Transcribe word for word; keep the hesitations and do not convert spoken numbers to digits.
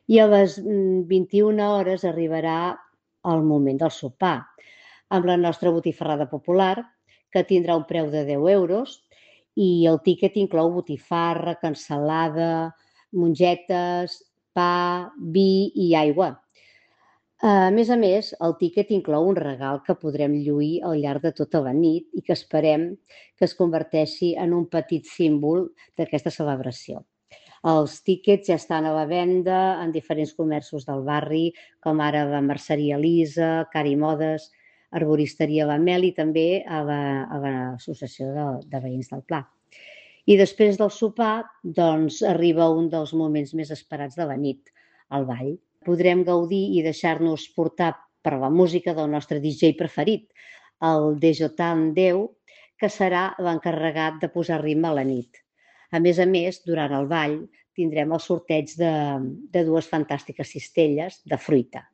I a les mm, vint-i-una hores arribarà el moment del sopar, amb la nostra botifarrada popular, que tindrà un preu de deu euros i el tíquet inclou botifarra, cansalada, mongetes, pa, vi i aigua. A més a més, el tíquet inclou un regal que podrem lluir al llarg de tota la nit i que esperem que es converteixi en un petit símbol d'aquesta celebració. Els tíquets ja estan a la venda en diferents comerços del barri, com ara la Merceria Elisa, Cari Modes, Arboristeria La Mel i també a la- a l'Associació de, de Veïns del Pla. I després del sopar, doncs, arriba un dels moments més esperats de la nit, el ball. Podrem gaudir i deixar-nos portar per la música del nostre D J preferit, el Dejotan Déu, que serà l'encarregat de posar ritme a la nit. A més a més, durant el ball tindrem el sorteig de, de dues fantàstiques cistelles de fruita.